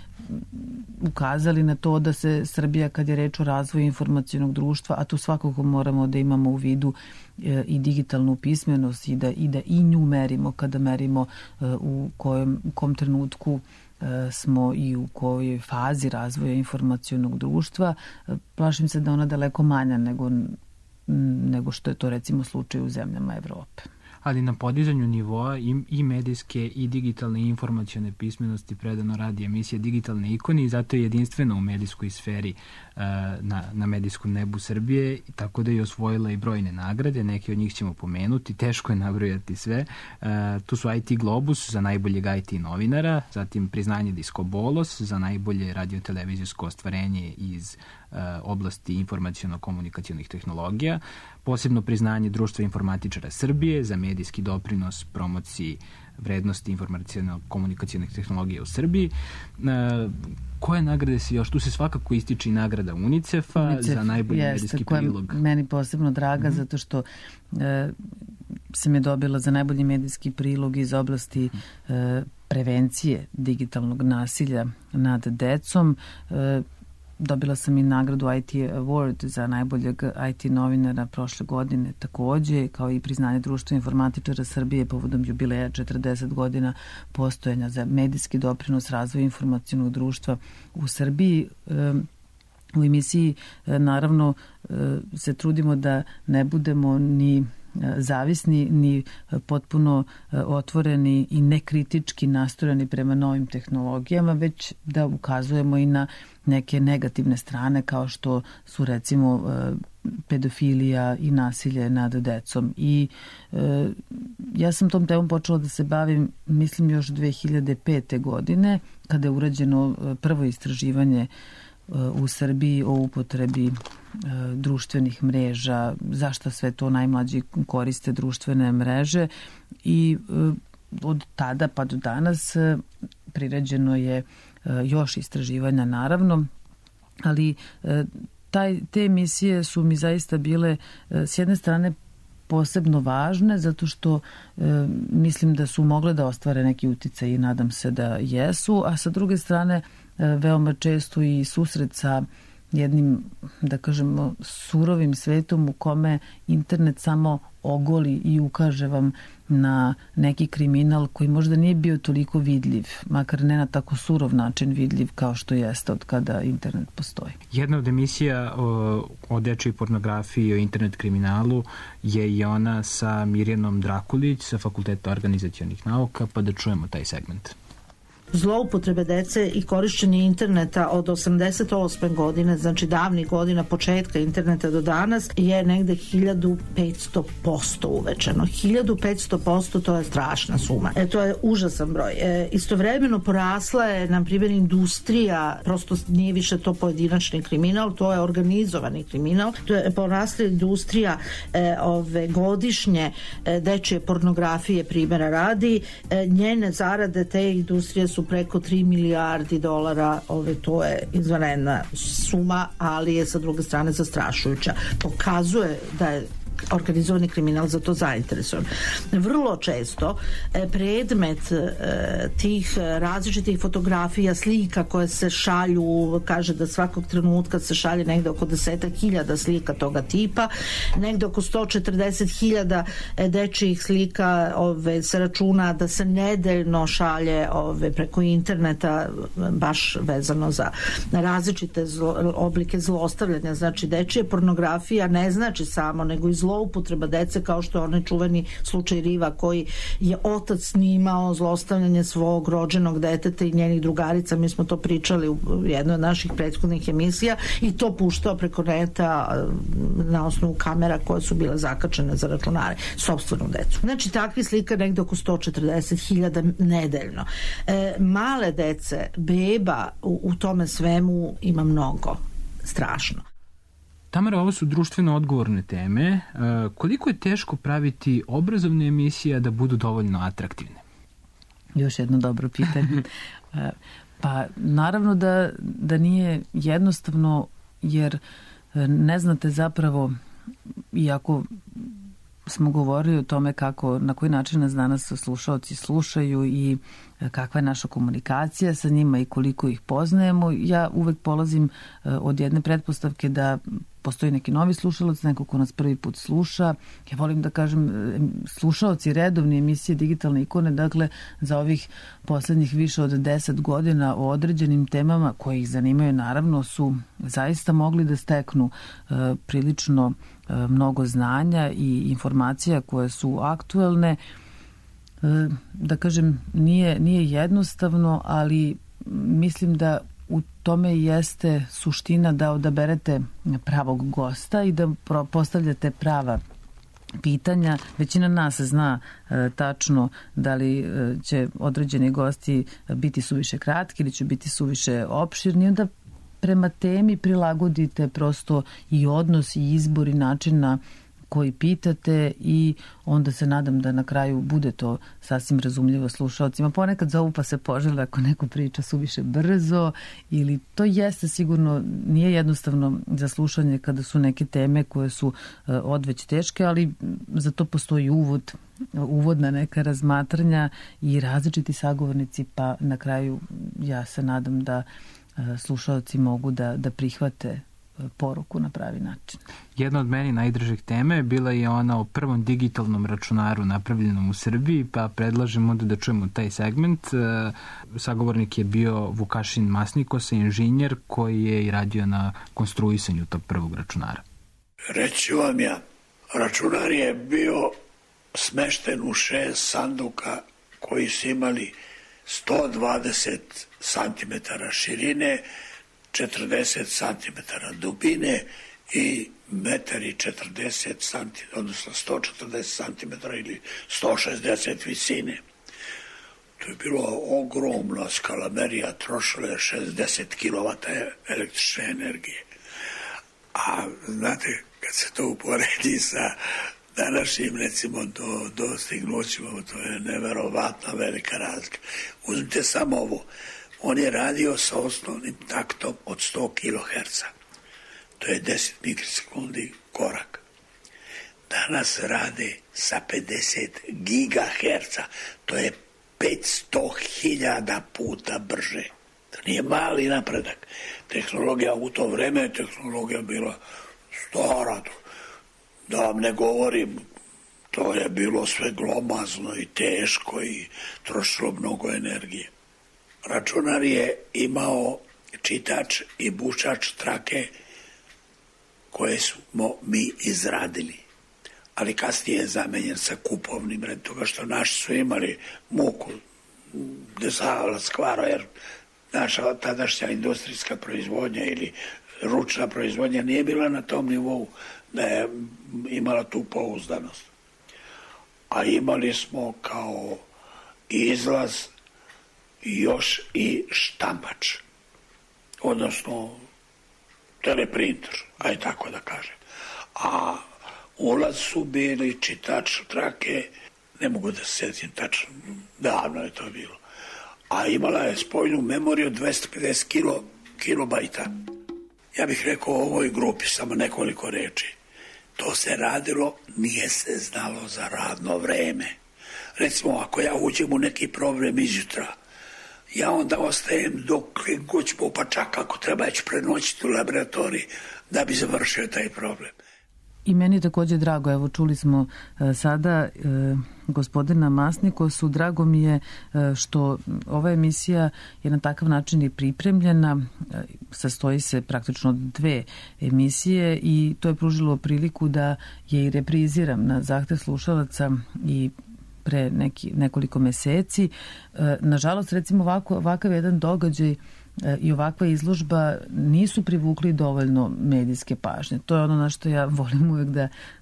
ukazali na to da se Srbija, kad je reč o razvoju informacionog društva, a tu svakako moramo da imamo u vidu i digitalnu pismenost i da i nju merimo kada merimo u kom trenutku smo i u kojoj fazi razvoja informacionog društva. Plašim se da ona daleko manja nego što je to recimo slučaj u zemljama Evrope.
Ali na podizanju nivoa i medijske i digitalne i informacione pismenosti predano radi emisija Digitalne ikone i zato je jedinstvena u medijskoj sferi na medijskom nebu Srbije, tako da je osvojila i brojne nagrade, neke od njih ćemo pomenuti, teško je nabrojati sve. Tu su IT Globus za najboljeg IT novinara, zatim priznanje Disco Bolos za najbolje radio-televizijsko ostvarenje iz oblasti informaciono-komunikacionih tehnologija, posebno priznanje Društva informatičara Srbije za medijski doprinos promociji vrednosti informaciono-komunikacionih tehnologija u Srbiji. Koje nagrade se još? Tu se svakako ističe i nagrada UNICEF-a za najbolji medijski prilog.
Koja je meni posebno draga zato što sam je dobila za najbolji medijski prilog iz oblasti prevencije digitalnog nasilja nad decom. Dobila sam i nagradu IT Award za najboljeg IT novinara prošle godine takođe, kao i priznanje Društva informatičara Srbije povodom jubileja 40 godina postojanja za medijski doprinos razvoju informacionog društva u Srbiji. U emisiji naravno se trudimo da ne budemo ni zavisni, ni potpuno otvoreni i nekritički nastrojeni prema novim tehnologijama, već da ukazujemo i na neke negativne strane kao što su recimo pedofilija i nasilje nad decom. I ja sam tom temom počela da se bavim, mislim, još 2005. godine, kada je urađeno prvo istraživanje u Srbiji o upotrebi društvenih mreža, zašto sve to najmlađi koriste društvene mreže i od tada pa do danas priređeno je još istraživanja naravno, ali te emisije su mi zaista bile s jedne strane posebno važne zato što mislim da su mogle da ostvare neki uticaj i nadam se da jesu, a sa druge strane veoma često i susret sa jednim, da kažemo, surovim svetom u kome internet samo ogoli i ukaže vam na neki kriminal koji možda nije bio toliko vidljiv, makar ne na tako surov način vidljiv kao što jeste od kada internet postoji.
Jedna od emisija o dečjoj pornografiji i o internet kriminalu je i ona sa Mirjanom Drakulić sa Fakulteta organizacionih nauka, pa da čujemo taj segment.
Zloupotrebe dece i korišćenje interneta od 88. godine, znači davnih godina početka interneta do danas, je negde 1500% uvećano. 1500%, to je strašna suma. To je užasan broj. Istovremeno porasla je, na primjer, industrija, prosto nije više to pojedinačni kriminal, to je organizovani kriminal. To je porasla industrija godišnje dečje pornografije, primjera radi. Njene zarade te industrije su preko 3 milijardi dolara, to je izvanredna suma, ali je sa druge strane zastrašujuća. Pokazuje da je organizovani kriminal za to zainteresovan. Vrlo često predmet tih različitih fotografija, slika koje se šalju, kaže da svakog trenutka se šalje negde oko 10.000 slika toga tipa, negde oko 140.000 dečjih slika se računa da se nedeljno šalje preko interneta, baš vezano za različite oblike zlostavljanja. Znači, dečija pornografija ne znači samo, nego i zloupotreba dece, kao što je onaj čuveni slučaj Riva, koji je otac snimao zlostavljanje svog rođenog deteta i njenih drugarica. Mi smo to pričali u jednoj od naših prethodnih emisija i to puštao preko neta na osnovu kamera koje su bile zakačene za računare, sopstvenu decu. Znači, takvi slika negde oko 140.000 nedeljno. Male dece, beba u tome svemu ima mnogo. Strašno.
Tamara, ovo su društveno odgovorne teme. Koliko je teško praviti obrazovne emisije da budu dovoljno atraktivne?
Još jedno dobro pitanje. Pa naravno da nije jednostavno, jer ne znate zapravo, iako smo govorili o tome na koji način nas danas slušaoci slušaju i kakva je naša komunikacija sa njima i koliko ih poznajemo. Ja uvek polazim od jedne pretpostavke da postoji neki novi slušalac, neko ko nas prvi put sluša. Ja volim da kažem, slušaoci redovne emisije Digitalne ikone, dakle, za ovih poslednjih više od 10 godina o određenim temama koje ih zanimaju, naravno, su zaista mogli da steknu prilično mnogo znanja i informacija koje su aktuelne. Da kažem, nije jednostavno, ali mislim da u tome jeste suština da odaberete pravog gosta i da postavljate prava pitanja. Većina nas zna tačno da li će određeni gosti biti suviše kratki ili će biti suviše opširni, onda prema temi prilagodite prosto i odnos i izbor i način na koji pitate i onda se nadam da na kraju bude to sasvim razumljivo slušalcima. Ponekad zovu pa se požele ako neko priča suviše brzo, ili to jeste sigurno, nije jednostavno za slušanje kada su neke teme koje su odveć teške, ali za to postoji uvodna neka razmatranja i različiti sagovornici, pa na kraju ja se nadam da slušalci mogu da prihvate poruku na pravi način.
Jedna od meni najdražih tema je bila i ona o prvom digitalnom računaru napravljenom u Srbiji, pa predlažem onda da čujemo taj segment. Sagovornik je bio Vukašin Masnikosa, inženjer koji je i radio na konstruisanju tog prvog računara.
Reći vam ja, računar je bio smešten u 6 sanduka koji su imali 120 cm širine, 40 cm dubine i 1,40 m, odnosno 140 cm ili 160 visine. To je bilo ogromna skalamerija, trošila je 60 kW električne energije. A znate, kad se to uporedi sa današnjim, recimo, dostignućima, to je neverovatna velika razlika. Uzmite samo ovo. On je radio sa osnovnim taktom od 100 kHz. To je 10 mikrosekundi korak. Danas rade sa 50 GHz. To je 500.000 puta brže. To nije mali napredak. Tehnologija u to vreme je tehnologija bila stara. Da vam ne govorim, to je bilo sve glomazno i teško i trošilo mnogo energije. Računar je imao čitač i bušač trake koje smo mi izradili. Ali kasnije je zamenjen sa kupovnim, red toga što naši su imali muku desala skvara, jer naša tadašnja industrijska proizvodnja ili ručna proizvodnja nije bila na tom nivou da je imala tu pouzdanost. A imali smo kao izlaz još i štampač, odnosno teleprinter, aj tako da kažem. A ulaz su bili čitač trake, ne mogu da se sjetim tačno, davno je to bilo. A imala je spoljnu memoriju 250 kilobajta. Ja bih rekao o ovoj grupi samo nekoliko reči. To se radilo, nije se znalo za radno vreme. Recimo, ako ja uđem u neki problem izjutra, ja onda ostajem dok god ću, pa čak ako treba ću prenoćiti u laboratoriji da bi završio taj problem.
I meni je također drago, evo čuli smo sada gospodina Masnikosu, drago mi je što ova emisija je na takav način i pripremljena, sastoji se praktično od 2 emisije i to je pružilo priliku da je i repriziram na zahtev slušalaca i pre nekoliko meseci. Nažalost, recimo ovakav jedan događaj i ovakva izložba nisu privukli dovoljno medijske pažnje. To je ono na što ja volim uvek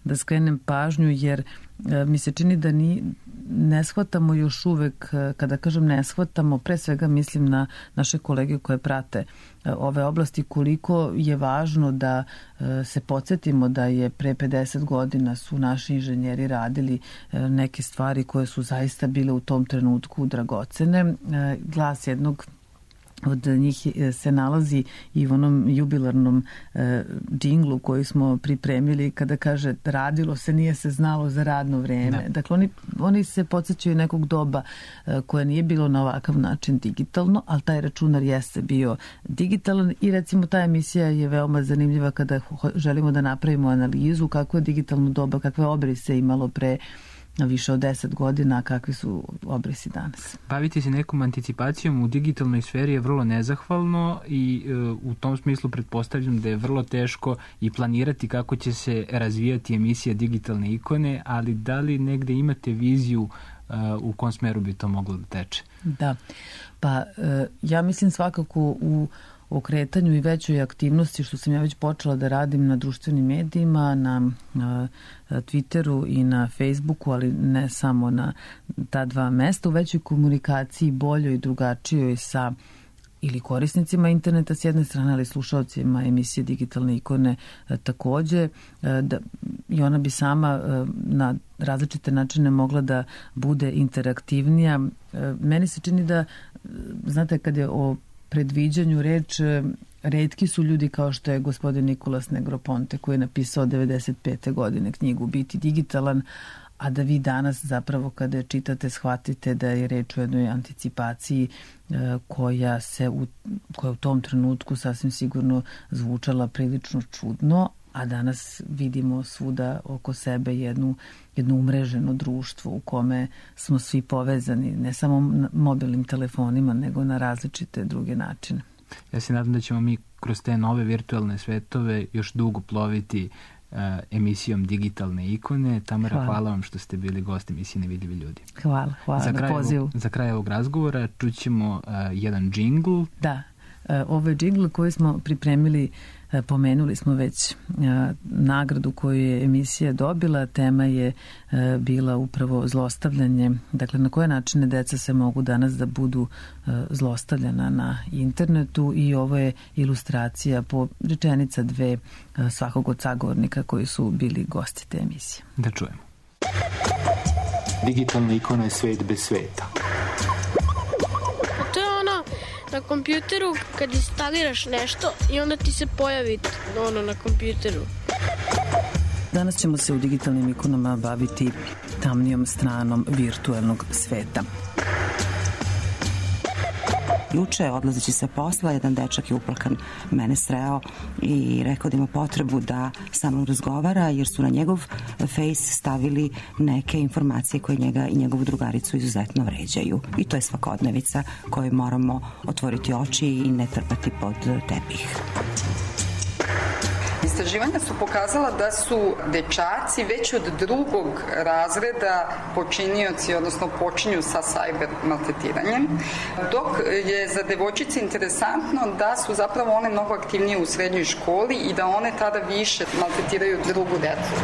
da skrenem pažnju, jer mi se čini da ne shvatamo još uvek, kada kažem ne shvatamo, pre svega mislim na naše kolege koje prate ove oblasti, koliko je važno da se podsjetimo da je pre 50 godina su naši inženjeri radili neke stvari koje su zaista bile u tom trenutku dragocene. Glas jednog od njih se nalazi i u onom jubilarnom džinglu koji smo pripremili kada kaže radilo se, nije se znalo za radno vreme. Da. Dakle, oni se podsjećaju nekog doba koje nije bilo na ovakav način digitalno, ali taj računar jeste bio digitalan i recimo ta emisija je veoma zanimljiva kada želimo da napravimo analizu kako je digitalno doba, kakve obrise imalo pre više od 10 godina, kakvi su obrisi danas.
Baviti se nekom anticipacijom u digitalnoj sferi je vrlo nezahvalno i u tom smislu pretpostavljam da je vrlo teško i planirati kako će se razvijati emisija digitalne ikone, ali da li negde imate viziju u kom smeru bi to moglo da teče?
Da, pa ja mislim svakako u okretanju i većoj aktivnosti, što sam ja već počela da radim na društvenim medijima, na Twitteru i na Facebooku, ali ne samo na ta 2 mesta, u većoj komunikaciji, boljoj i drugačijoj sa ili korisnicima interneta s jedne strane, ali slušalcima emisije digitalne ikone takođe. I ona bi sama na različite načine mogla da bude interaktivnija. Meni se čini da, znate, kad je o predviđanju reč, retki su ljudi kao što je gospodin Nikolas Negroponte koji je napisao 95. godine knjigu Biti digitalan, a da vi danas zapravo kada je čitate shvatite da je reč o jednoj anticipaciji koja u tom trenutku sasvim sigurno zvučala prilično čudno, a danas vidimo svuda oko sebe jedno umreženo društvo u kome smo svi povezani, ne samo mobilnim telefonima, nego na različite druge načine.
Ja se nadam da ćemo mi kroz te nove virtualne svetove još dugo ploviti emisijom digitalne ikone. Tamara, hvala vam što ste bili gost emisije Nevidljivi ljudi.
Hvala na pozivu.
Za kraj ovog razgovora čućemo jedan džingl.
Da, ovo je džingl koji smo pripremili, pomenuli smo već nagradu koju je emisija dobila, tema je bila upravo zlostavljanje, dakle na koje načine deca se mogu danas da budu zlostavljana na internetu i ovo je ilustracija po rečenica 2 svakog od sagovornika koji su bili gosti te emisije.
Da čujemo.
Digitalna ikona je svet bez sveta.
To je ono Na kompjuteru kad instaliraš nešto i onda ti se pojavi na kompjuteru.
Danas ćemo se u digitalnim ikonama baviti tamnijom stranom virtuelnog sveta.
Juče, odlazeći sa posla, jedan dečak je uplakan mene sreo i rekao da ima potrebu da sa mnom razgovara, jer su na njegov face stavili neke informacije koje njega i njegovu drugaricu izuzetno vređaju. I to je svakodnevica koju moramo otvoriti oči i ne trpati pod tepih.
Istraživanja su pokazala da su dečaci već od 2. razreda počinioci, odnosno počinju sa cyber maltretiranjem, dok je za devojčice interesantno da su zapravo one mnogo aktivnije u srednjoj školi i da one tada više maltretiraju drugu decu.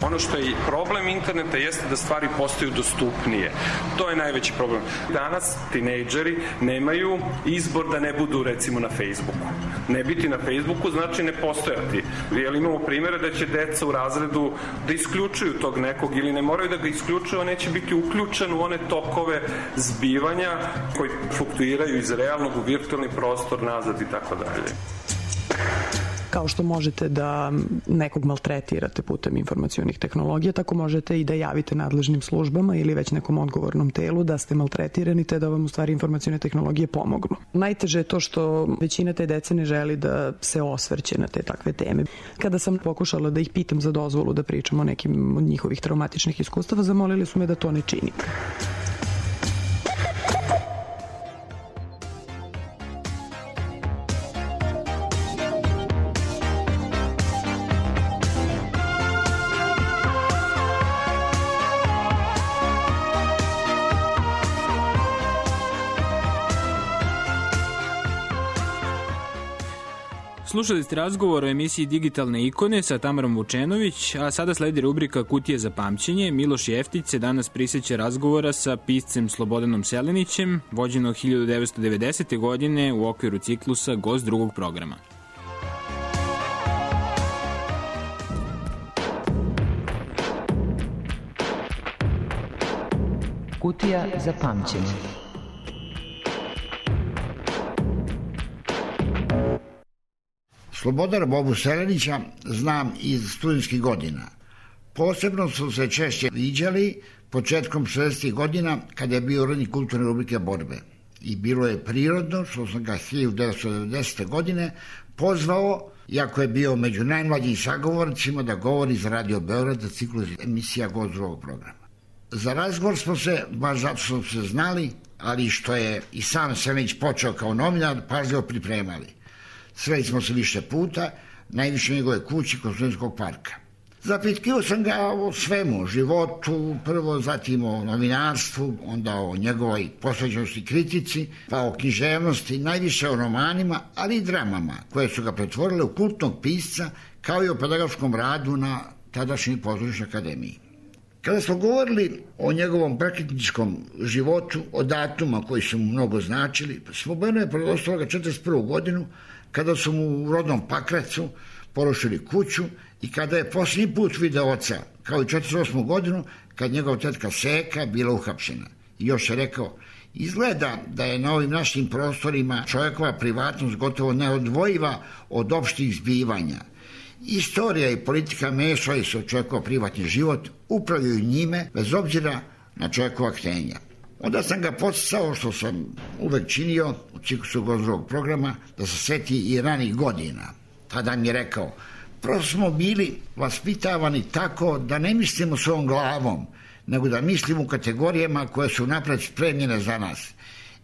Ono što je problem interneta jeste da stvari postaju dostupnije. To je najveći problem. Danas tinejdžeri nemaju izbor da ne budu recimo na Facebooku. Ne biti na Facebooku znači ne postojati. Jer imamo primjere da će deca u razredu da isključuju tog nekog ili ne moraju da ga isključuju, a neće biti uključen u one tokove zbivanja koji fluktuiraju iz realnog u virtualni prostor, nazad i tako dalje.
Kao što možete da nekog maltretirate putem informacionih tehnologija, tako možete i da javite nadležnim službama ili već nekom odgovornom telu da ste maltretirani, te da vam u stvari informacione tehnologije pomognu. Najteže je to što većina te dece ne želi da se osvrće na te takve teme. Kada sam pokušala da ih pitam za dozvolu da pričam o nekim od njihovih traumatičnih iskustava, zamolili su me da to ne činim.
Slušali ste razgovor o emisiji Digitalne ikone sa Tamarom Vučenović, a sada sledi rubrika Kutije za pamćenje. Miloš Jeftić se danas prisjeća razgovora sa piscem Slobodanom Selenićem, vođenog 1990. godine u okviru ciklusa Gost drugog programa.
Kutija za pamćenje.
Slobodana Bobu Selenića znam iz studentskih godina. Posebno su se češće viđali početkom 60. godina kada je bio urednik kulturne rubrike Borbe. I bilo je prirodno što sam ga 1990. godine pozvao, iako je bio među najmlađim sagovornicima, da govori za Radio Beograd za ciklus emisija Gost drugog programa. Za razgovor smo se, baš zato smo se znali, ali što je i sam Selenić počeo kao novinar, pažljivo pripremali. Sreli smo se više puta, najviše u njegove kući kod Studentskog parka. Zapitkio sam ga o svemu, o životu, prvo, zatim o novinarstvu, onda o njegovoj posvećenosti kritici, pa o književnosti, najviše o romanima, ali i dramama, koje su ga pretvorile u kultnog pisca, kao i o pedagoškom radu na tadašnjoj pozorišnoj akademiji. Kada smo govorili o njegovom prekretničkom životu, o datuma koji su mu mnogo značili, Slobodano je predostavio ga 1941. godinu, kada su mu u rodnom Pakracu porušili kuću i kada je posljednji put video oca, kao i 1948. godinu, kad njegova tetka Seka bila uhapšena. I još je rekao, izgleda da je na ovim našim prostorima čovjekova privatnost gotovo neodvojiva od opštih zbivanja. Istorija i politika mešaju se u čovjekov privatni život, upravljaju njime bez obzira na čovjekova htenja. Onda sam ga podsticao, što sam uvek činio u ciklusu Gost drugog programa, da se seti i ranih godina. Tada mi je rekao, prosto smo bili vaspitavani tako da ne mislimo svojom glavom, nego da mislimo u kategorijama koje su napred spremljene za nas.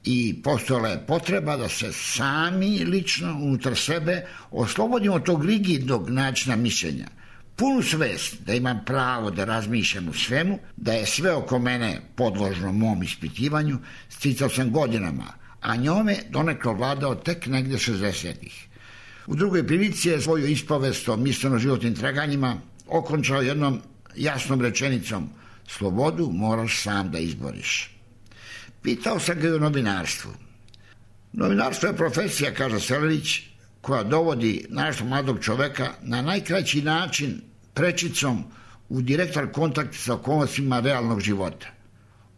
I postojala je potreba da se sami lično unutar sebe oslobodimo tog rigidnog načina mišljenja. Punu svest da imam pravo da razmišljam o svemu, da je sve oko mene podložno mom ispitivanju, sticao sam godinama, a njome donekle vladao tek negdje 60-ih. U drugoj prilici je svoju ispovest o misleno-životnim traganjima okončao jednom jasnom rečenicom: slobodu moraš sam da izboriš. Pitao sam ga i o novinarstvu. Novinarstvo je profesija, kaže Selenić, koja dovodi našeg mladog čoveka na najkraći način, prečicom, u direktan kontakt sa okolnostima realnog života.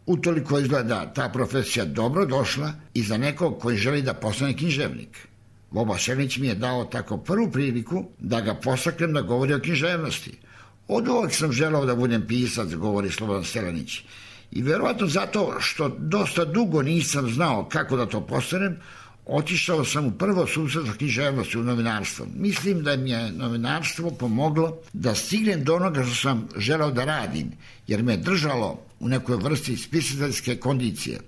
Utoliko izgleda ta profesija dobro došla i za nekog koji želi da postane književnik. Boba Selenić mi je dao tako prvu priliku da ga postaknem da govori o književnosti. Od uvek sam želao da budem pisac, govori Slobodan Selenić. I verovatno zato što dosta dugo nisam znao kako da to postanem, otišao sam u prvo susret sa književnosti u novinarstvo. Mislim da mi je novinarstvo pomoglo da stignem do onoga što sam želao da radim, jer me držalo u nekoj vrsti spisateljske kondicije.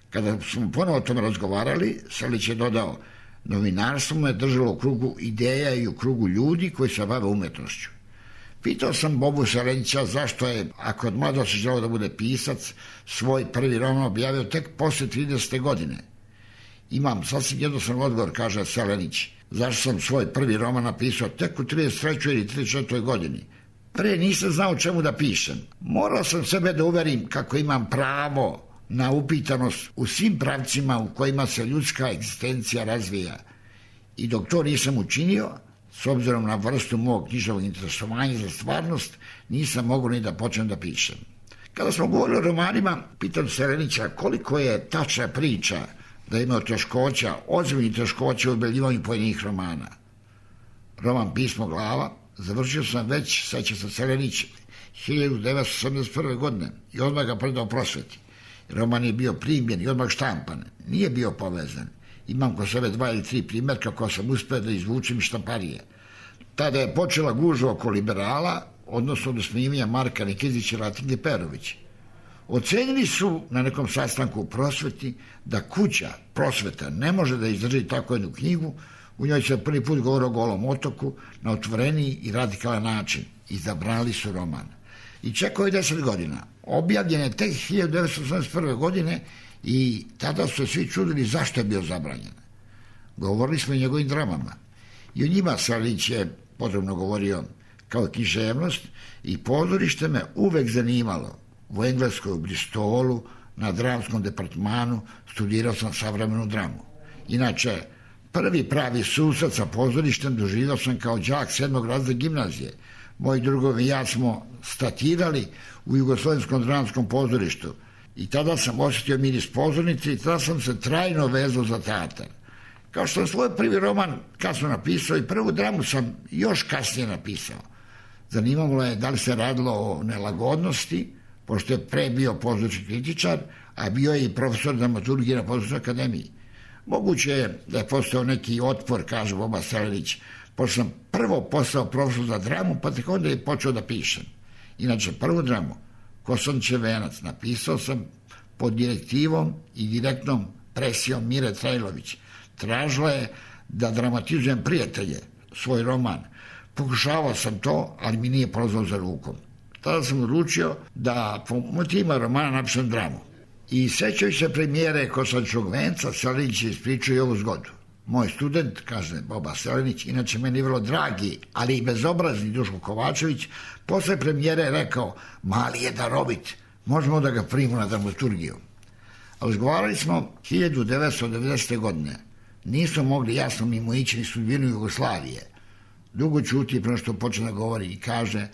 Kada smo ponovo o tome razgovarali, Selenić je dodao: novinarstvo me držalo u krugu ideja i u krugu ljudi koji se bave umetnošću. Pitao sam Bobu Selenića zašto je, ako od mladosti želeo da bude pisac, svoj prvi roman objavio tek posle 30. godine. Imam sasvim jednostavan odgovor, kaže Selenić. Zašto sam svoj prvi roman napisao tek u 33. ili 34. godini? Pre nisam znao čemu da pišem. Morao sam sebe da uverim kako imam pravo na upitanost u svim pravcima u kojima se ljudska egzistencija razvija. I dok to nisam učinio, s obzirom na vrstu mog književnog interesovanja za stvarnost, nisam mogao ni da počnem da pišem. Kada smo govorili o romanima, pitam Selenića koliko je tačna priča da je imao teškoća, ozbiljnih teškoća u objavljivanju pojedinih romana. Roman Pismo glava završio sam već, seća se Selenić, 1981. godine i odmah ga predao prosveti. Roman je bio primljen i odmah štampan, nije bio povezan. Imam kod sebe 2 ili 3 primjerka koja sam uspeo da izvučem iz štamparije. Tada je počela gužva oko liberala, odnosno do smijevanja Marka Nikizića i Latinke Perović. Ocenili su na nekom sastanku u prosveti da kuća prosveta ne može da izdrži tako jednu knjigu. U njoj se prvi put govori o Golom otoku na otvoreniji i radikalan način. Izabrali su roman. I čekao je 10 godina. Objavljen je tek 1981. godine i tada su se svi čudili zašto je bio zabranjen. Govorili smo o njegovim dramama. I o njima Selenić je potrebno govorio kao književnost i pozorište me uvek zanimalo. U Engleskoj, u Bristolu, na dramskom departmanu studirao sam savremenu dramu. Inače, prvi pravi susret sa pozorištem doživio sam kao đak 7. razreda gimnazije. Moji drugovi i ja smo statirali u Jugoslovenskom dramskom pozorištu i tada sam osjetio miris pozornice i tada sam se trajno vezao za teatar. Kao što sam svoj prvi roman kasno napisao i prvu dramu sam još kasnije napisao. Zanimalo je da li se radilo o nelagodnosti, pošto je pre bio pozorišni kritičar, a bio je i profesor dramaturgije na Pozorišnoj akademiji. Moguće je da je postao neki otpor, kaže Boba Selenić, pošto sam prvo postao profesor za dramu, pa tek onda je počeo da pišem. Inače, prvu dramu, Kosančev venac, napisao sam pod direktivom i direktnom presijom Mire Trajlović. Tražila je da dramatizujem Prijatelje, svoj roman. Pokušavao sam to, ali mi nije prolazilo za rukom. Tada sam odlučio da po motivima romana napišem dramu. I sećajući se premijere Kosančevog venca, Selenić je ispričao i ovu zgodu. Moj student, kaže Boba Selenić, inače meni vrlo dragi, ali i bezobrazni Duško Kovačević, posle premijere je rekao: mali je darovit, možemo da ga primimo na dramaturgiju. Razgovarali smo 1990. godine. Nismo mogli jasno mimo ići ni sudbinu Jugoslavije. Dugo ćuti prema što počne da govori i kaže: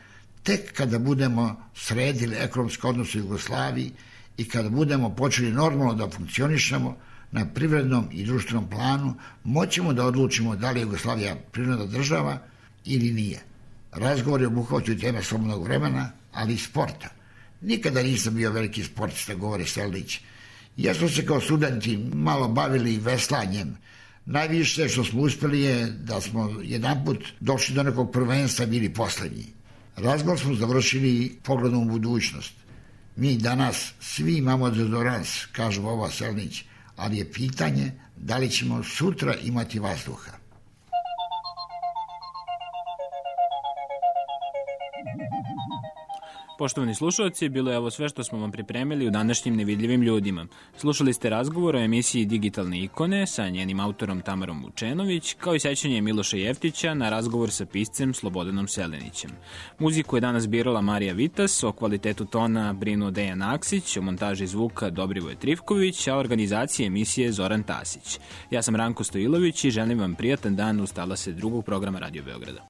tek kada budemo sredili ekonomske odnose u Jugoslaviji i kada budemo počeli normalno da funkcionišemo na privrednom i društvenom planu, moćemo da odlučimo da li je Jugoslavija prirodna država ili nije. Razgovor je obuhvatio teme slobodnog vremena, ali i sporta. Nikada nisam bio veliki sportista, govori Selenić. Ja smo se kao studenti malo bavili veslanjem. Najviše što smo uspeli je da smo jedanput došli do nekog prvenstva i bili poslednji. Razgovor smo završili pogledom u budućnost. Mi danas svi imamo dezodorans, kaže Boba Selenić, ali je pitanje da li ćemo sutra imati vazduha.
Poštovani slušalci, bilo je ovo sve što smo vam pripremili u današnjim Nevidljivim ljudima. Slušali ste razgovor o emisiji Digitalne ikone sa njenim autorom Tamarom Vučenović, kao i sećanje Miloša Jeftića na razgovor sa piscem Slobodanom Selenićem. Muziku je danas birala Marija Vitas, o kvalitetu tona brinuo Dejan Aksić, o montaži zvuka Dobrivoje Trivković, a organizacije emisije Zoran Tasić. Ja sam Ranko Stojilović i želim vam prijatan dan uz talase drugog programa Radio Beograda.